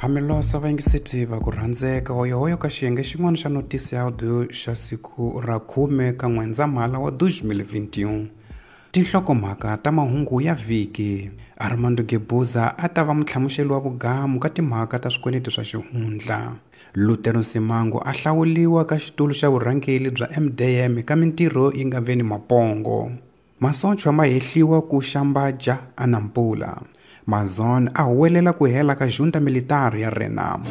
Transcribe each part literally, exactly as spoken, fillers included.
Hamilosa vayingiseti va ku rhandzeka hoyohoyo ka xiyenge xin'wana xa notisi ya audio xa siku ra khume ka N'wendzamhala wa deux mille vingt et un. Tinhlokomhaka ta mahungu ya vhiki. Armando Guebuza a ta va mutlhamuxeli wa vugamu ka timhaka ta swikweleti swa xihundla. Lutero Simango a hlawuliwa ka xitulu xa vurhangeri bya M D M ka mintirho yi nga veni mapongo. Masochwa ma hehliwa ku xambaja a Nampula. Mazon a huwelela ku hela ka junta militar ya Renamo.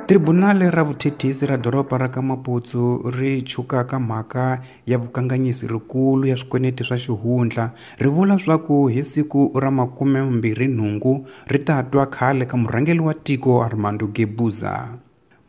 Tribunale ra vuthethisi ra doroba ra ka Maputo ri chukaka mhaka ya vukanganyisi rikulu ya swikweleti swa xihundla ri vula swa ku hi siku ra makume mbirhi nhungu ri ta twa khale ka murhangeri wa tiko Armando Guebuza.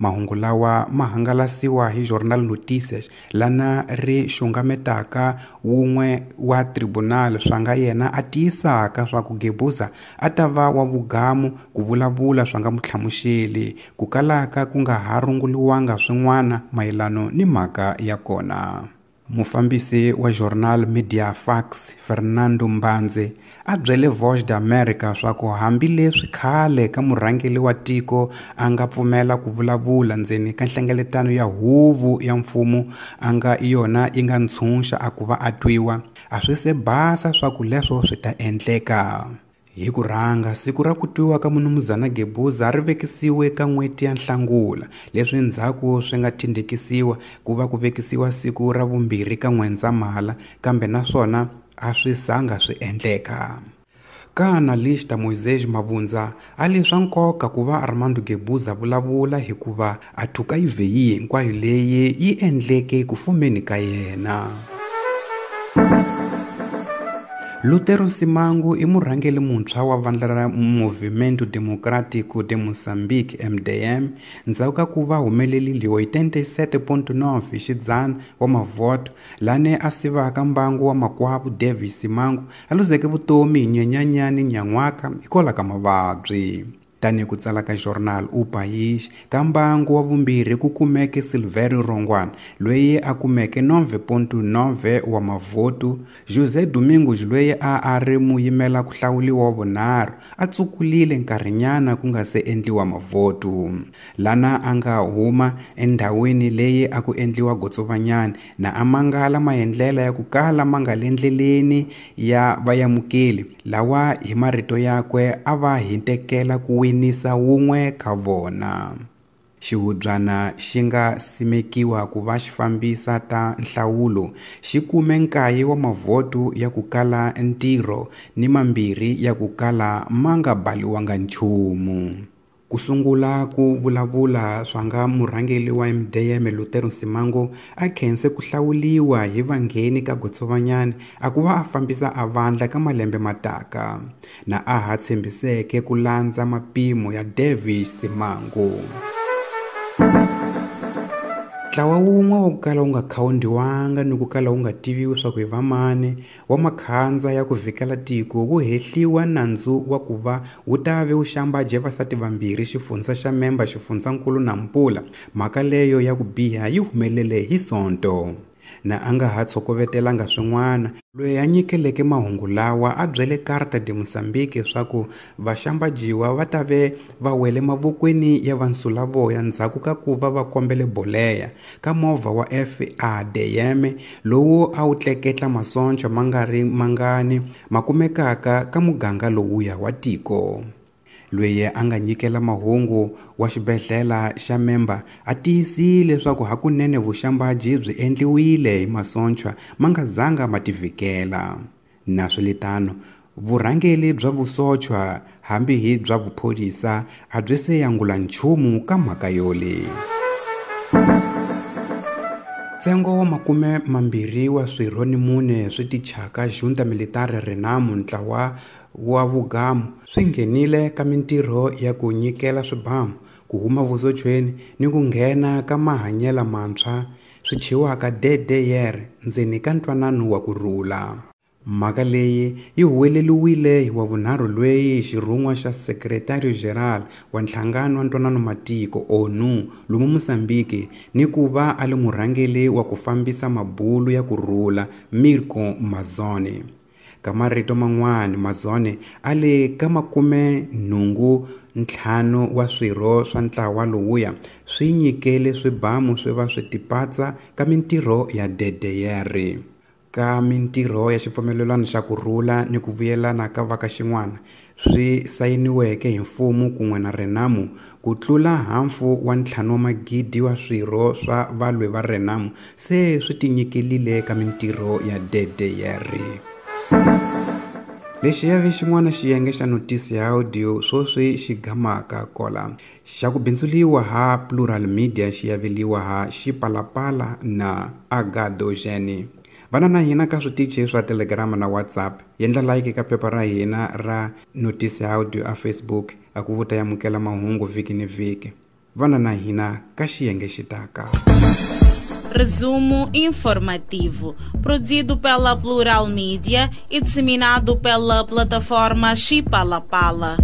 Mahungu lawa ma hangalasiwa hi Jornal Notícias lana ri xungametaka wun'we wa tribunal swa nga yena a tiyisaka swa ku Guebuza a ta va wa vugamu ku vulavula swa nga mutlhamuxeli ku kalaka ku nga ha runguliwanga swin'wana mayelano ni mhaka ya kona. Mufambisi wa Jornal Media Fax Fernando Mbanze a byele Voz da América swa ku hambileswi khale ka murhangeri wa tiko a nga pfumela ku vulavula ndzeni ka nhlengeletano ya huvo ya mfumo a nga yona yi nga ntshunxa a ku va a twiwa a swi se basa swa ku leswo swi ta endleka. Hi ku rhanga siku ra ku twiwa ka munumuzana Guebuza ri vekisiwe ka n'hweti ya Nhlangula leswi ndzhaku swi nga tindekisiwa ku va ku vekisiwa siku ra vumbirhi ka N'wendzamhala kambe naswona a swi zanga swi endleka. Ka analista Moisés Mabunza a li swa nkoka ku va Armando Guebuza vulavula hikuva a thuka yi hinkwayo leyi yi endleke ku fumeni ka yena. Lutero Simango i murhangeri muntshwa wa vandla ra Movimento Democrático de Moçambique M D M ndzhaku ka ku va humelerile oitenta e sete ponto nove xidzana wa mavhoto lane a sivaka mbangu wa makwavo Davis Simango a luzeke vutomi hi Nyenyanyani nyan'waka hikwalaho ka mavabyi. Tanihi ku tsala ka Jornal O País ka mbangu wa vumbirhi ku kumeke Silverio Rongwana loyi a kumeke nove ponto nove wa mavhoto. José Domingos loyi a a ri muyimela ku hlawuliwa wa vunharhu a tsukulile nkarhinyana ku nga se endliwa mavhoto lana a nga huma endhawini leyi a ku endliwa gotsovanyana na a mangala maendlela ya ku kala ma nga le ndleleni ya vayamukeli lawa hi marito yakwe a va hintekela ku winisa wun'we ka vona. Xihubyana xi nga simekiwa ku va xi fambisa ta nhlawulo xi kume nkaye wa mavhoto ya ku kala ntirho ni mambirhi ya ku kala ma nga baliwanga nchumu. Ku sungula ku vulavula swa nga murhangeri wa M D M Lutero Simango a khense ku hlawuliwa hi vangheni ka gotsovanyana a ku va a fambisa a vandla ka malembe mataka na a ha tshembiseke ku landza mapimo ya Davis Simango. Ntlawa wun'we wa ku kala wu nga khawundiwanga ni ku kala wu nga tiviwi swa ku hi vamani wa makhandza ya ku vhikela tiko wu hehliwa nandzu wa ku va wu ta ve wu xambaje vasati vambirhi xifundza xa Memba xifundzankulu Nampula. Mhaka leyo ya ku biha yi humelele hi Sonto. Na a nga ha tshokovetelanga swin'wana loyi a nyikeleke mahungu lawa a byele Carta de Moçambique swa ku vaxambajiwa va ta ve va wele mavokweni ya vansulavoya ndzhaku ka ku va va kombele boleya ka movha wa F A D M lowu a wu tleketla masoncho ma nga ri mangani ma kumekaka ka muganga lowuya wa tiko. Loyi a nga nyikela mahungu wa xibedhlele xa Memba a tiyisile leswaku hakunene vuxambaji byi endliwile hi masonchwa ma nga zanga ma tivhikela. Naswelitano vurhangeri bya vusochwa hambi hi bya vuphorisa a byi se yangula nchumu ka mhaka yoleyi. Ntsengo wa makume mambirhi wa swirho ni mune swi tichaka junta militare Renamo ntlawa wa vugamu swi nghenile ka mintirho ya ku nyikela swibamu ku huma vusochweni ni ku nghena ka mahanyelo mantshwa swi chiwaka D D R ndzeni ka ntwanano wa ku rhula. Mhaka leyi yi huweleliwile hi wavunharhu loyi xirhun'wa xa Secretario General wa Nhlangano wa Ntwanano Matiko O N U lomu Mozambique ni ku va a li murhangeri wa ku fambisa mabulu ya ku rhula Mirko Mazzone. Ka marito man'wana, Mazzone a le ka makume nhungu ntlhanu wa swirho swa ntlawa lowuya swi nyikele swibamu swi va swi tipatsa ka mintirho ya D D R. Ka mintirho ya xipfumelelano xa kurhula ni ku vuyelana ka va ka xin'wana swi sayiniweke hi mfumo kun'we na Renamo, ku tlula hafu wa ntlhanu wa magidi wa swirho swa valwi va Renamo se swi tinyikelile ka mintirho ya D D R. Lexi ya ve xin'wana xiyenge xa notisi ya audio swoswi xi gamaka kola xa ku bindzuliwa ha Plural Media xi yaveliwa ha Xipalapala na Agadogene. Vana na hina ka switichi swa Telegram na WhatsApp. Yendla like ka phepha ra hina ra notisi ya audio a Facebook a ku vuta yamukela mahungu vhiki ni vhiki. Vana na hina ka xiyenge xitaka. Resumo informativo, produzido pela Plural Media e disseminado pela plataforma Xipalapala.